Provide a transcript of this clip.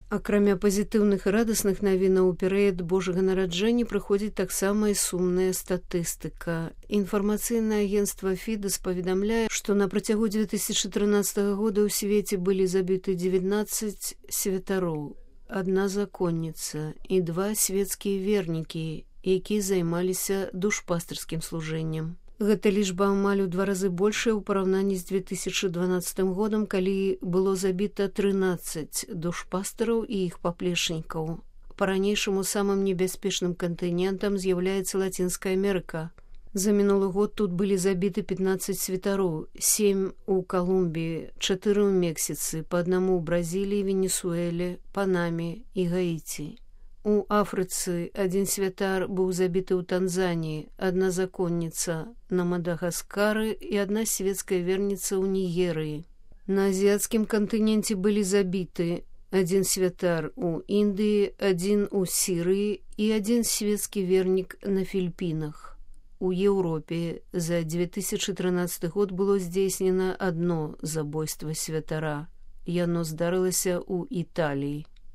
Акрамя пазітыўных і радасных навінаў, у перыяд Божага нараджэння прыходзіць таксама і сумная статыстыка. Інфармацыйнае агенцтва Фідес паведамляе, што на працягу 2013 года ў свеце былі забіты 19 святароў, 1 законніца і 2 свецкія вернікі, якія займаліся душпастырскім служэннем. Гэта лічба амаль у 2 разы большая ў параўнанні з 2012 годам, калі было забіта 13 душпастыраў і іх паплечнікаў. Па-ранейшаму самым небяспечным кантынентам з'яўляецца Лацінская Амерыка. За мінулы год тут былі забіты 15 святароў, 7 у Калумбіі, 4 ў Мексіцы, па 1 у Бразіліі, Венесуэле, Панаме і Гаіці. У Афрыцы 1 святар быў забіты ў Танзаніі, 1 законніца на Мадагаскары і 1 светская верніца ў Нігерыі. На азіяцкім кантыненце былі забіты 1 святар у Індыі, 1 у Сірыі і 1 светскі вернік на Філіпінах. У Еўропе за 2013 год было здзейснена 1 забойства святара. Яно здарылася ў Італіі.